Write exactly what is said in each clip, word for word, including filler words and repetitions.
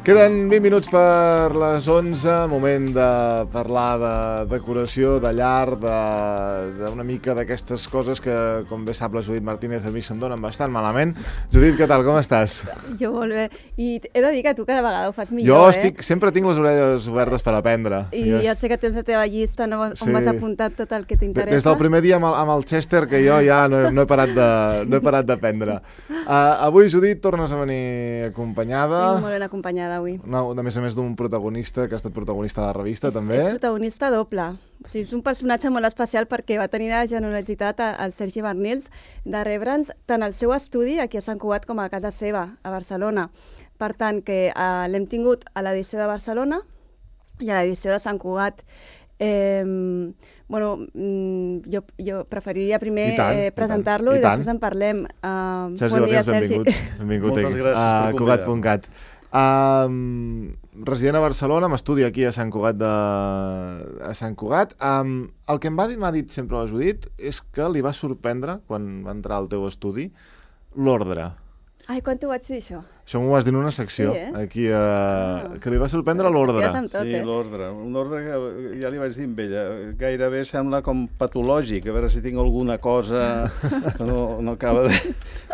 Queden vint minuts per les onze, moment de parlar de decoració, de llar, d'una mica d'aquestes coses que, com bé sap la Judit Martínez, a mi se'm donen bastant malament. Judit, què tal, com estàs? Jo molt bé. I he de dir que tu cada vegada ho fas millor, jo eh? estic, sempre tinc les orelles obertes per aprendre. I jo... ja sé que tens la teva llista, no? On Sí. m'has apuntat tot el que t'interessa. Des del primer dia amb el, amb el Chester, que jo ja no, no he parat de, no he parat d'aprendre. Uh, avui, Judit, tornes a venir acompanyada. Vinc molt ben acompanyada avui. No, a més a més d'un protagonista, que ha estat protagonista de la revista, és, també. És protagonista doble. O sigui, és un personatge molt especial perquè va tenir la generositat al Sergi Barnils de rebre'ns tant el seu estudi aquí a Sant Cugat com a casa seva, a Barcelona. Per tant, que eh, l'hem tingut a l'edició de Barcelona i a l'edició de Sant Cugat. Eh, bueno, jo, jo preferiria primer tant, eh, presentar-lo i, i, i després en parlem. Uh, Sergi bon dia, Barnils, Sergi. benvingut. benvingut Moltes aquí, gràcies a per Cugat punt cat. Um, resident a Barcelona, m'estudi aquí a Sant Cugat de... a Sant Cugat. Um, el que em va dir, m'ha dit sempre la Judit, és que li va sorprendre, quan va entrar al teu estudi, l'ordre. Ai, quan t'ho vaig dir, això? Això m'ho vas dir en una secció, sí, eh? aquí, uh, ah. que li va sorprendre l'ordre. Ja tot, sí, eh? l'ordre. Un ordre que ja li vaig dir amb ella. Gairebé sembla com patològic, a veure si tinc alguna cosa que no, no acaba de,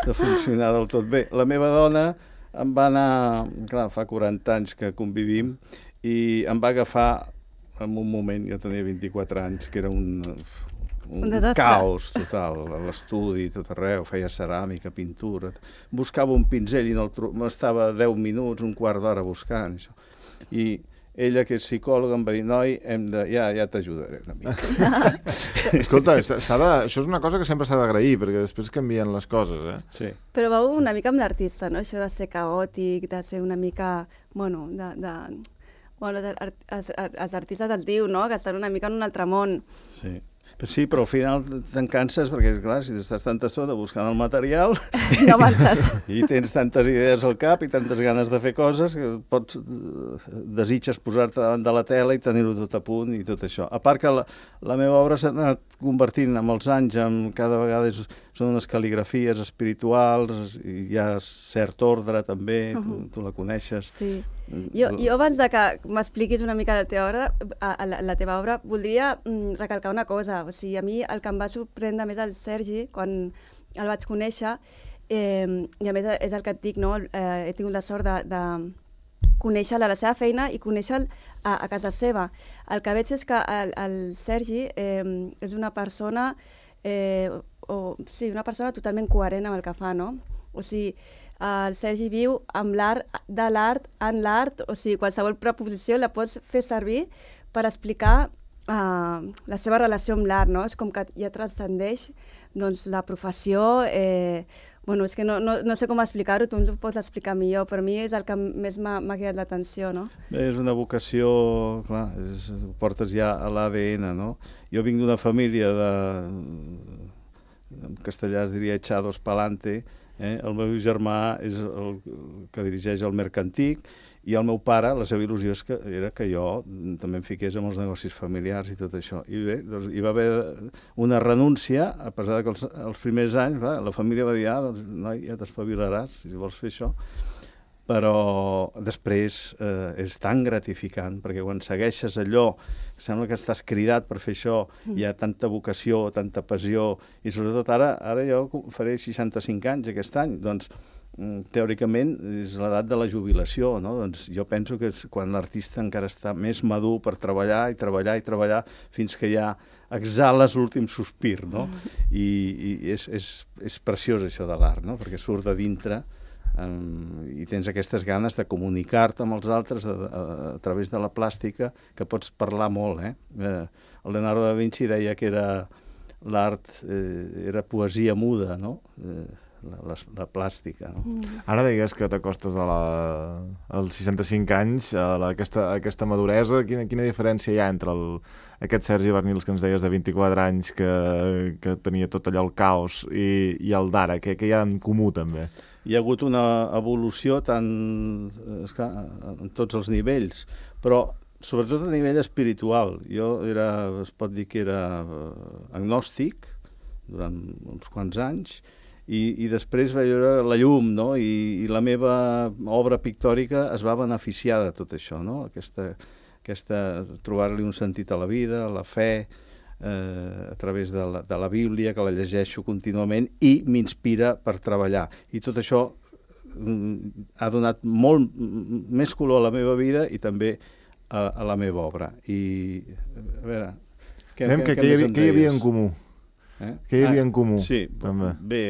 de funcionar del tot bé. La meva dona em va anar, clar, fa quaranta anys que convivim, i em va agafar en un moment, jo tenia vint-i-quatre anys, que era un, un, un caos total, a l'estudi, tot arreu, feia ceràmica, pintura, buscava un pinzell i no m'estava deu minuts, un quart d'hora buscant, això. I ella, que és psicòloga, em va dir, noi, hem de... ja, ja t'ajudaré una mica. Escolta, s'ha de... això és una cosa que sempre s'ha d'agrair, perquè després canvien les coses, eh? Sí. Però va una mica amb l'artista, no? Això de ser caòtic, de ser una mica... Bueno, de... de... Bueno, els, els artistes el diu, no?, que estan una mica en un altre món. Sí. Sí, però al final te'n canses perquè, clar, si estàs tanta estona buscant el material no avances. I tens tantes idees al cap i tantes ganes de fer coses que pots, desitges posar-te davant de la tela i tenir-ho tot a punt i tot això. A part que la, la meva obra s'ha anat convertint amb els anys, en cada vegada és, són unes cal·ligrafies espirituals, i hi ha cert ordre també, uh -huh. tu, tu la coneixes. Sí. Jo, jo abans de que m'expliquis una mica la teva obra, la, la teva obra, voldria mm, recalcar una cosa. O sigui, a mi el que em va sorprendre més el Sergi, quan el vaig conèixer, eh, i a més és el que et dic, no? Eh, he tingut la sort de, de conèixer-la a la seva feina i conèixer-la a, a casa seva. El que veig és que el, el Sergi eh, és una persona, eh, o, sí, una persona totalment coherent amb el que fa, no? O sigui, el Sergi viu amb l'art, de l'art, en l'art, o sigui, qualsevol proposició la pots fer servir per explicar uh, la seva relació amb l'art, no? És com que ja transcendeix doncs, la professió. Eh, bueno, és que no, no, no sé com explicar-ho, tu ens ho pots explicar millor, però a mi és el que més m'ha cridat l'atenció, no? Bé, és una vocació, clar, és, ho portes ja a l'A D N, no? Jo vinc d'una família de... en castellà es diria echados pa'lante. Eh? El meu germà és el que dirigeix el Mercantic i el meu pare, la seva il·lusió és que, era que jo també em fiqués amb els negocis familiars i tot això. I bé, doncs, hi va haver una renúncia, a pesar que els, els primers anys va, la família va dir, ah, doncs, noi, ja t'espavilaràs si vols fer això. Però després eh, és tan gratificant, perquè quan segueixes allò, sembla que estàs cridat per fer això, hi ha tanta vocació, tanta passió, i sobretot ara, ara jo faré seixanta-cinc anys aquest any, doncs teòricament és l'edat de la jubilació, no? Doncs jo penso que és quan l'artista encara està més madur per treballar i treballar i treballar fins que ja exhales l'últim sospir, no? I, i és, és, és preciós això de l'art, no? Perquè surt de dintre Um, i tens aquestes ganes de comunicar-te amb els altres a, a, a través de la plàstica, que pots parlar molt, eh? eh el Leonardo da Vinci deia que era l'art eh, era poesia muda, no? Eh, la, la, la plàstica, no? Mm. Ara deies que t'acostes a la, als seixanta-cinc anys, a, la, a, aquesta, a aquesta maduresa. Quina, quina diferència hi ha entre el, aquest Sergi Barnils que ens deies de vint-i-quatre anys, que, que tenia tot allò el caos, i, i el d'ara? Què, què hi ha en comú, també? Hi ha hagut una evolució tant, esclar, en tots els nivells, però sobretot a nivell espiritual. Jo era, es pot dir que era agnòstic durant uns quants anys, I, i després va veure la llum, no? I, i la meva obra pictòrica es va beneficiar de tot això, no? Aquesta, aquesta, trobar-li un sentit a la vida, a la fe, eh, a través de la, de la Bíblia, que la llegeixo contínuament i m'inspira per treballar. I tot això mm, ha donat molt més color a la meva vida i també a, a la meva obra. I, a veure... Què, Anem, què, què, què, hi havia, què hi havia en comú? Eh? Què hi havia ah, en comú? Sí, també. Bé,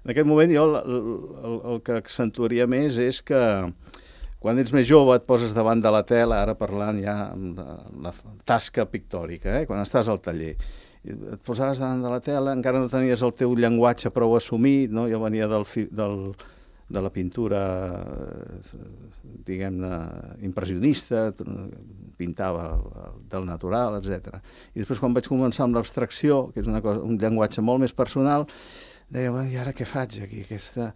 en aquest moment jo el, el, el que accentuaria més és que quan ets més jove et poses davant de la tela, ara parlant ja amb la, la tasca pictòrica, eh? Quan estàs al taller. Et posaves davant de la tela, encara no tenies el teu llenguatge prou assumit, no? Jo venia del, del, de la pintura, diguem-ne, impressionista, pintava del natural, etcètera. I després, quan vaig començar amb l'abstracció, que és una cosa, un llenguatge molt més personal, deia, bueno, i ara què faig aquí? Aquesta,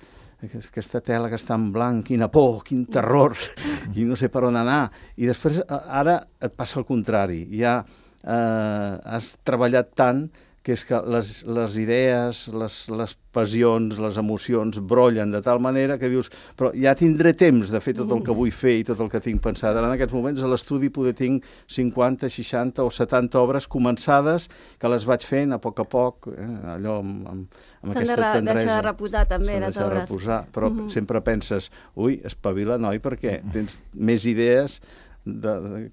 aquesta tela que està en blanc, quina por, quin terror, i no sé per on anar. I després, ara et passa el contrari. Ja eh, has treballat tant que és que les, les idees, les, les passions, les emocions brollen de tal manera que dius, però ja tindré temps de fer tot el que vull fer i tot el que tinc pensat. Ara en aquests moments a l'estudi poder tinc cinquanta, seixanta o setanta obres començades que les vaig fent a poc a poc, eh, allò amb, amb, amb aquesta de tendresa. S'han de deixar reposar també les S'han de obres. Reposar, però mm -hmm. sempre penses, ui, espavila, noi, perquè tens més idees de... de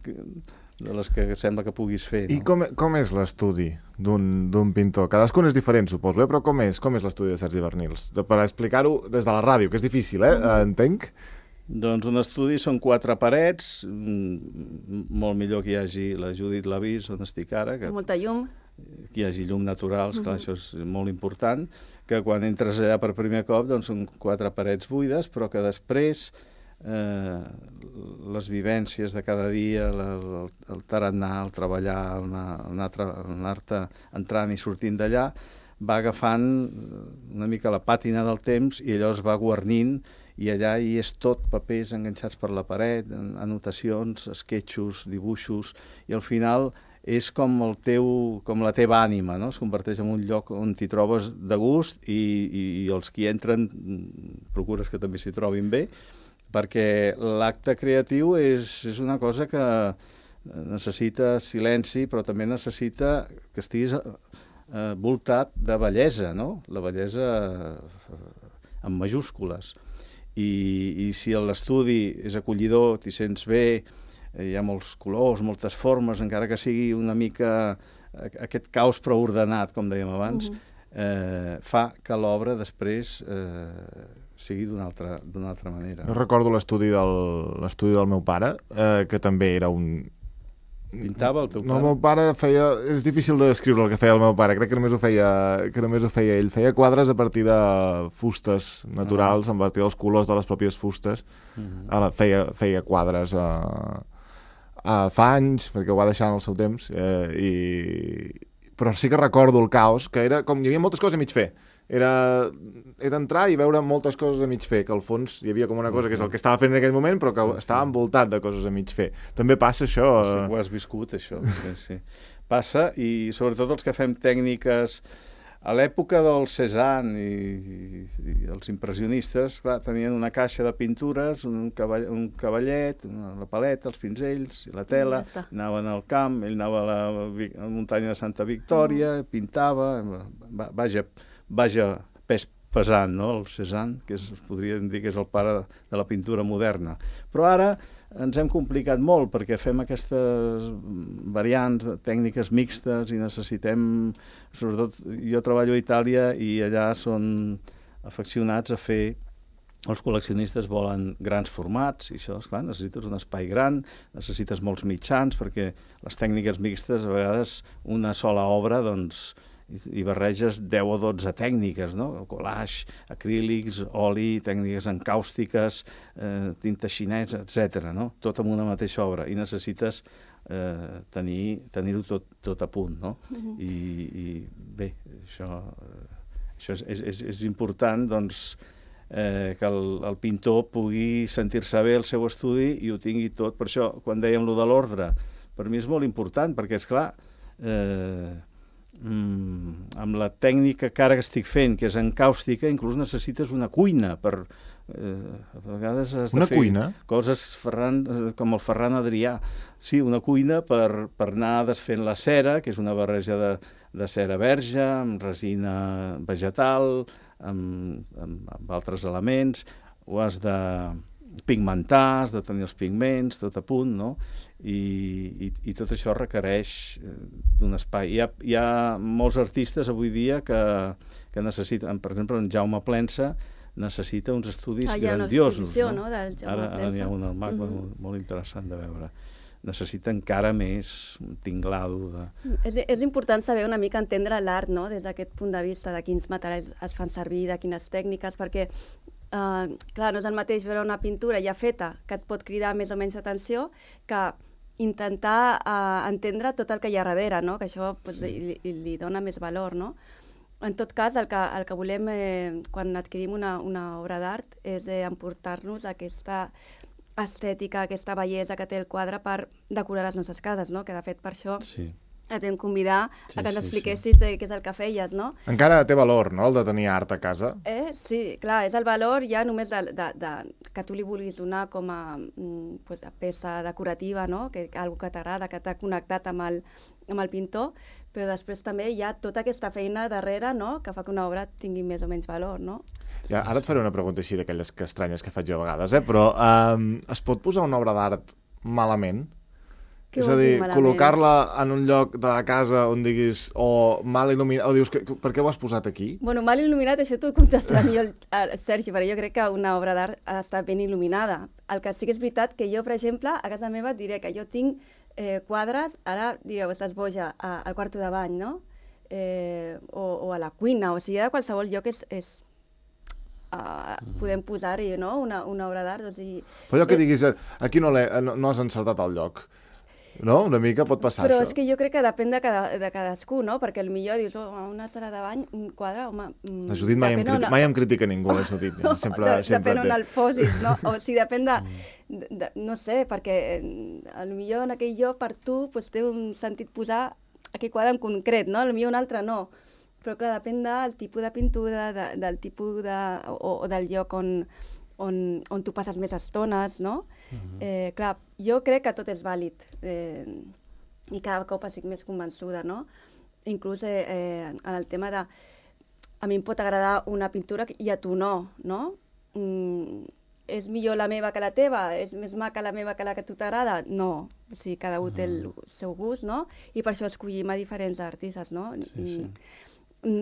de les que sembla que puguis fer. No? I com, com és l'estudi d'un pintor? Cadascun és diferent, suposo, eh? Però com és? Com és l'estudi de Sergi Bernils? Per explicar-ho des de la ràdio, que és difícil, eh? Mm. Entenc. Doncs un estudi són quatre parets, molt millor que hi hagi la Judit Lavís, on estic ara. Que, molta llum. Que hi hagi llum natural, esclar, mm -hmm. això és molt important, que quan entres allà per primer cop doncs són quatre parets buides, però que després Eh, les vivències de cada dia, la, el, el tarannà, el treballar, anar-te entrant i sortint d'allà, va agafant una mica la pàtina del temps i allò es va guarnint i allà hi és tot papers enganxats per la paret, anotacions, esquetxos, dibuixos, i al final és com, el teu, com la teva ànima, no? Es converteix en un lloc on t'hi trobes de gust i, i, i els que hi entren procures que també s'hi trobin bé, perquè l'acte creatiu és, és una cosa que necessita silenci, però també necessita que estiguis eh, voltat de bellesa, no? La bellesa eh, en majúscules. I, i si l'estudi és acollidor, t'hi sents bé, hi ha molts colors, moltes formes, encara que sigui una mica aquest caos prou ordenat, com dèiem abans, uh-huh. eh, fa que l'obra després... Eh, sigui d'una altra, d'una altra manera. Jo recordo l'estudi del, l'estudi del meu pare, eh, que també era un... Pintava el teu pare? No, el meu pare feia... És difícil de descriure el que feia el meu pare, crec que només ho feia, que només ho feia ell. Feia quadres a partir de fustes naturals, uh-huh. a partir dels colors de les pròpies fustes. Uh-huh. Ara, feia, feia quadres a, a fa anys, perquè ho va deixar en el seu temps, eh, i... però sí que recordo el caos, que era com hi havia moltes coses a mig fer. Era, era entrar i veure moltes coses a mig fer, que al fons hi havia com una cosa que és el que estava fent en aquell moment, però que sí, estava envoltat de coses a mig fer. També passa això... Sí, ho has viscut, això. Sí, sí. Passa, i sobretot els que fem tècniques... A l'època del Cézanne i, i, i els impressionistes, clar, tenien una caixa de pintures, un, cavall, un cavallet, una, la paleta, els pinzells i la tela, ja anaven al camp, ell anava a la, a la muntanya de Santa Victòria, uh-huh. pintava, va, vaja... vaja pes pesant, no?, el Cézanne, que es podria dir que és el pare de la pintura moderna. Però ara ens hem complicat molt perquè fem aquestes variants, tècniques mixtes i necessitem, sobretot jo treballo a Itàlia i allà són afeccionats a fer, els col·leccionistes volen grans formats i això, esclar, necessites un espai gran, necessites molts mitjans perquè les tècniques mixtes a vegades una sola obra, doncs, i barreges deu o dotze tècniques, no? Collage, acrílics, oli, tècniques encàustiques, eh, tinta xinesa, etcètera, no? Tot en una mateixa obra, i necessites eh, tenir, tenir-ho tot, tot a punt, no? Uh-huh. I, I bé, això, això és, és, és important, doncs, eh, que el, el pintor pugui sentir-se bé al seu estudi i ho tingui tot. Per això, quan dèiem lo de l'ordre, per mi és molt important, perquè, és clar, eh, mm, amb la tècnica que ara que estic fent, que és encàustica, inclús necessites una cuina per... Eh, a vegades has una de fer cuina? coses Ferran, com el Ferran Adrià. Sí, una cuina per, per anar desfent la cera, que és una barreja de, de cera verge, amb resina vegetal, amb, amb, amb altres elements. Ho has de pigmentar, has de tenir els pigments, tot a punt, no? I, i, i tot això requereix d'un espai. Hi ha, hi ha molts artistes avui dia que, que necessiten, per exemple, en Jaume Plensa, necessita uns estudis ah, grandiosos. No? No? Del Ara, ara n'hi ha un al M A C mm -hmm. molt, molt interessant de veure. Necessita encara més un tinglado de... És, és important saber una mica entendre l'art, no? Des d'aquest punt de vista, de quins materials es fan servir, de quines tècniques, perquè, eh, clar, no és el mateix veure una pintura ja feta que et pot cridar més o menys atenció que intentar eh, entendre tot el que hi ha darrere, no? Que això pues, sí. li, li, li dona més valor, no? En tot cas, el que, el que volem eh, quan adquirim una, una obra d'art és eh, emportar-nos aquesta estètica, aquesta bellesa que té el quadre per decorar les nostres cases, no? Que de fet per això sí. et vam convidar sí, a que ens sí, expliquessis sí. eh, què és el que feies, no? Encara té valor, no?, el de tenir art a casa. Eh? Sí, clar, és el valor ja només de, de, de, que tu li vulguis donar com a mm, pues, a peça decorativa, no? Que, que algo que t'agrada, que t'ha connectat amb el, amb el pintor, però després també hi ha tota aquesta feina darrere, no?, que fa que una obra tingui més o menys valor, no? Ja, ara et faré una pregunta així d'aquelles que estranyes que faig jo a vegades, eh? Però um, es pot posar una obra d'art malament? Què és a dir, col·locar-la en un lloc de la casa on diguis, o mal il·luminat, o dius, que, per què ho has posat aquí? Bueno, mal il·luminat, això t'ho contestarà millor el, el Sergi, però jo crec que una obra d'art ha d'estar ben il·luminada. El que sí que és veritat que jo, per exemple, a casa meva et diré que jo tinc eh, quadres, ara direu, estàs boja, a, al quarto de bany, no? Eh, o, o a la cuina, o sigui, a qualsevol lloc és... és Uh, podem posar-hi, no?, una, una obra d'art. O sigui, però allò que diguis, aquí no, no, no has encertat el lloc, no? Una mica pot passar però això. Però és que jo crec que depèn de, cada, de cadascú, no? Perquè potser dius, oh, una sala de bany, un quadre, home... La Judit mai, em, criti una... mai em critica ningú, la Judit. Ja. Sempre, no, sempre depèn on el posis, no? O sigui, depèn de, de, de... No sé, perquè potser en aquell lloc per tu pues, té un sentit posar aquell quadre en concret, no? Potser un altre no. Però, clar, depèn del tipus de pintura, de, del tipus de... o, o del lloc on, on, on tu passes més estones, no? Uh-huh. eh, clar, jo crec que tot és vàlid eh, i cada cop estic més convençuda, no? Inclús eh, eh, en el tema de... A mi em pot agradar una pintura i a tu no, no? Mm, és millor la meva que la teva? És més maca la meva que la que a tu t'agrada? No. O sigui, cada un té el seu gust, no? I per això escollim a diferents artistes, no? Sí, sí.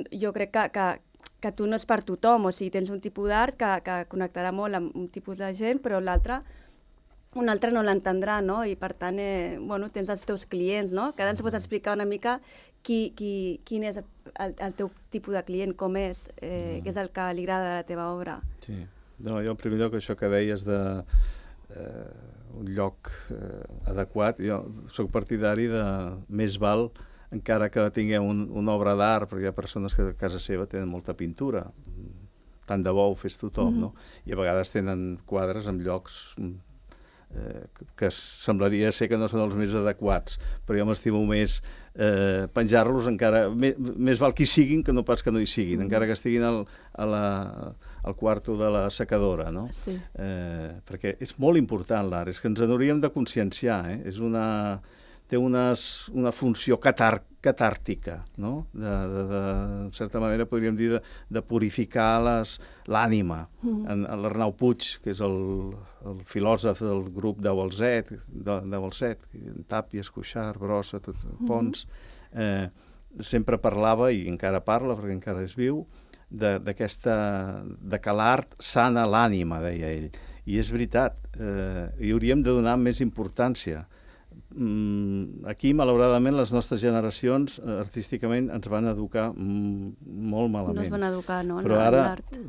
Jo crec que, que, que tu no és per tothom, o sigui, tens un tipus d'art que, que connectarà molt amb un tipus de gent, però l'altre un altre no l'entendrà, no? I per tant, eh, bueno, tens els teus clients, no? Que ara ens pots explicar una mica qui, qui, quin és el, el teu tipus de client, com és, eh, mm. què és el que li agrada de la teva obra. Sí. No, jo en primer lloc això que deies de eh, un lloc eh, adequat, jo soc partidari de més val encara que tinguem un, una obra d'art, perquè hi ha persones que a casa seva tenen molta pintura, tant de bo ho fes tothom, mm-hmm. no? I a vegades tenen quadres en llocs eh, que semblaria ser que no són els més adequats, però jo m'estimo més eh, penjar-los encara, més, més val que hi siguin que no pas que no hi siguin, mm-hmm. encara que estiguin al, a la, al quarto de la secadora, no? Sí. Eh, perquè és molt important l'art, és que ens n'hauríem de conscienciar, eh? És una... té unes, una funció catar, catàrtica, no? De, de, de, en certa manera podríem dir de, de purificar l'ànima. Mm. En, en l'Arnau Puig, que és el, el filòsof del grup de Balset, de, de Balset, Tàpies, Cuixart, Brossa, tot, Pons, eh, sempre parlava, i encara parla perquè encara és viu, d'aquesta, de que l'art sana l'ànima, deia ell. I és veritat, eh, hi hauríem de donar més importància. Aquí, malauradament, les nostres generacions artísticament ens van educar molt malament. No es van educar, no? Però ara,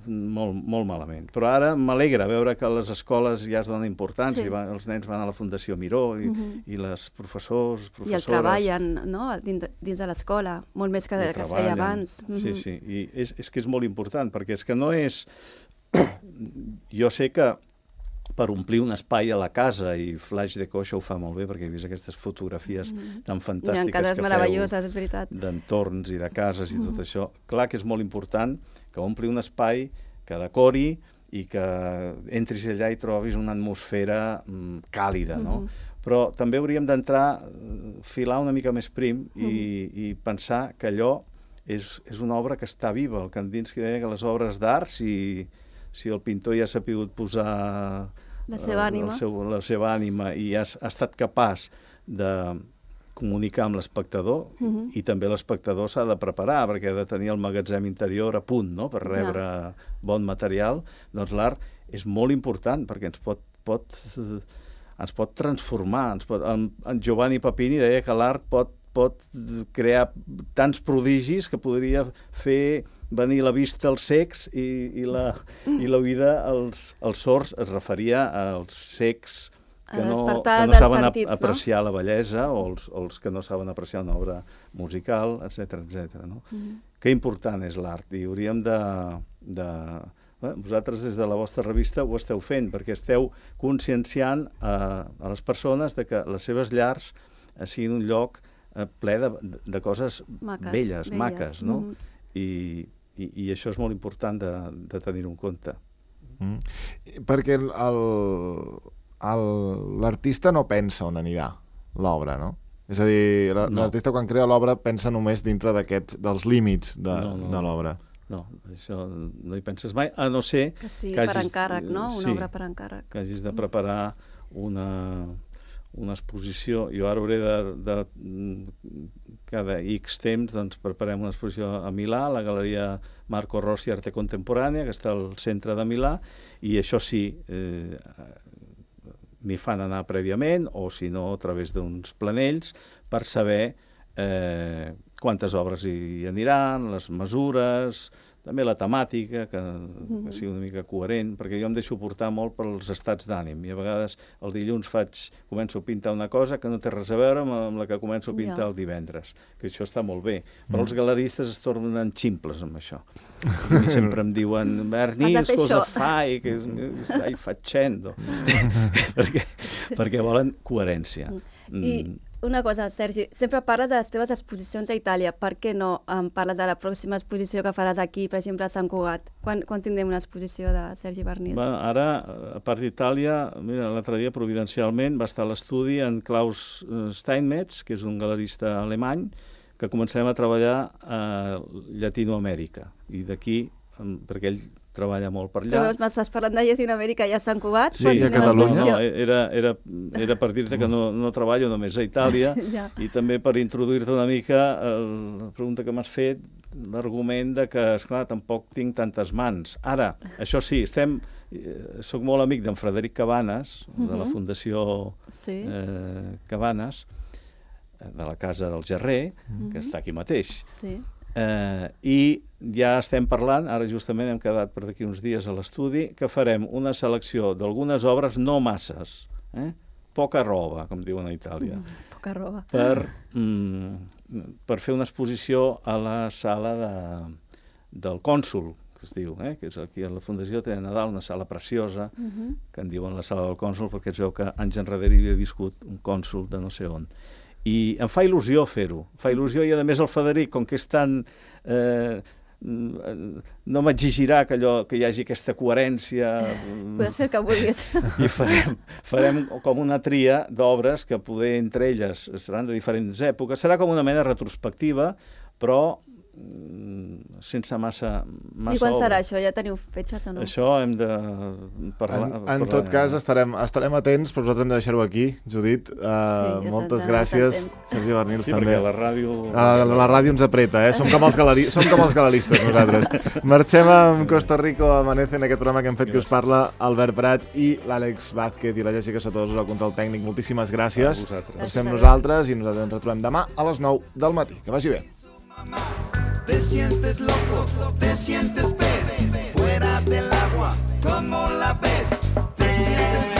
molt, molt malament. Però ara m'alegra veure que a les escoles ja es dona importància, sí. i van, els nens van a la Fundació Miró, i, uh-huh. i les professors, professores... I el treballen, no?, dins, dins de l'escola, molt més que, que es feia abans. Uh-huh. Sí, sí, i és, és que és molt important, perquè és que no és... Jo sé que per omplir un espai a la casa, i Flash Deco això ho fa molt bé, perquè he vist aquestes fotografies mm. tan fantàstiques que feu meravelloses, és veritat, d'entorns i de cases i mm. tot això. Clar que és molt important que ompli un espai, que decori i que entris allà i trobis una atmosfera mm, càlida, no? Mm. Però també hauríem d'entrar, filar una mica més prim i, mm. i pensar que allò és, és una obra que està viva. El Kandinsky deia que les obres d'art, si, si el pintor ja s'ha pogut posar la seva ànima, el seu, la seva ànima i ha, ha estat capaç de comunicar amb l'espectador, uh-huh. i també l'espectador s'ha de preparar perquè ha de tenir el magatzem interior a punt, no?, per rebre ja. bon material, doncs l'art és molt important perquè ens pot, pot, ens pot transformar. Ens pot, en, en Giovanni Papini deia que l'art pot, pot crear tants prodigis que podria fer venir la vista als cecs i, i, la, i la vida als, als sords. Es referia als cecs que no, que no saben sentits, apreciar no? la bellesa, o els, o els que no saben apreciar una obra musical, etcètera, etcètera. No? Mm-hmm. Que important és l'art, i hauríem de... de eh, vosaltres des de la vostra revista ho esteu fent, perquè esteu conscienciant a, a les persones de que les seves llars eh, siguin un lloc eh, ple de, de coses maques, belles, belles, maques, no? Mm-hmm. I, i, i això és molt important de, de tenir-ho en compte. Mm. Perquè el... el... l'artista no pensa on anirà l'obra, no? És a dir, l'artista no. quan crea l'obra pensa només dintre d'aquests, dels límits de, no, no, de l'obra. No, això no hi penses mai, a no ser que sí, que per hagis, encàrrec, no? Una sí, obra per encàrrec. Que hagis de preparar una, una exposició. Jo ara hauré de, de cada X temps doncs preparem una exposició a Milà, a la Galeria Marco Rossi Arte Contemporània, que està al centre de Milà, i això sí, eh, m'hi fan anar prèviament, o si no, a través d'uns planells, per saber eh, quantes obres hi aniran, les mesures, també la temàtica, que, mm-hmm. que sigui una mica coherent, perquè jo em deixo portar molt pels estats d'ànim, i a vegades el dilluns faig, començo a pintar una cosa que no té res a veure amb la que començo a pintar ja. el divendres, que això està molt bé, però mm. els galeristes es tornen ximples amb això. I sempre em diuen, Bernis, cosa fai, que stai facendo, perquè, perquè volen coherència. I una cosa, Sergi, sempre parles de les teves exposicions a Itàlia. Per què no em parles de la pròxima exposició que faràs aquí, per exemple, a Sant Cugat? Quan, quan tindrem una exposició de Sergi Barnils? Bueno, ara, a part d'Itàlia, mira, l'altre dia, providencialment, va estar a l'estudi en Klaus Steinmetz, que és un galerista alemany, que començarem a treballar a Llatinoamèrica. I d'aquí, perquè ell treballa molt per allà. Però m'estàs parlant de Llatinoamèrica i a Sant Cugat? Sí, a Catalunya. No, era, era, era per dir-te que no, no treballo només a Itàlia, ja. I també per introduir-te una mica el, la pregunta que m'has fet, l'argument de que, esclar, tampoc tinc tantes mans. Ara, això sí, estem... Eh, soc molt amic d'en Frederic Cabanes, uh-huh. de la Fundació sí. eh, Cabanes, de la Casa del Gerrer, uh-huh. que està aquí mateix. Sí. Eh, i ja estem parlant, ara justament hem quedat per d'aquí uns dies a l'estudi, que farem una selecció d'algunes obres, no masses, eh? poca roba, com diuen a Itàlia, mm, poca roba. Per, mm, per fer una exposició a la sala de, del cònsol, que es diu, eh? que és aquí a la Fundació tenen a dalt una sala preciosa, uh-huh. que en diuen la sala del cònsol perquè es veu que anys enrere hi havia viscut un cònsol de no sé on. I em fa il·lusió fer-ho. Fa il·lusió, i a més el Frederic, com que és tan... Eh, no m'exigirà que, allò, que hi hagi aquesta coherència. Podes fer el que vulguis. I farem, farem com una tria d'obres que poder entre elles seran de diferents èpoques. Serà com una mena retrospectiva, però sense massa, massa I quan obra. serà això? Ja teniu fetges o no? Això hem de parlar. En, en parlar, tot cas, estarem, estarem atents, però nosaltres hem de deixar-ho aquí, Judit. Uh, sí, moltes gràcies, Sergi Barnils, sí, també. Sí, perquè la ràdio... Uh, la ràdio ens apreta, eh? Som com els, galeri... Som com els galeristes, nosaltres. Marxem amb Costa Rico Amanece, en aquest programa que hem fet, que us parla Albert Prat i l'Àlex Vázquez i la Jessica Satosos al control tècnic. Moltíssimes gràcies per ser amb nosaltres, i nosaltres ens retrobem demà a les nou del matí. Que vagi bé. Te sientes loco, te sientes pez, fuera del agua, ¿cómo la ves? Te sientes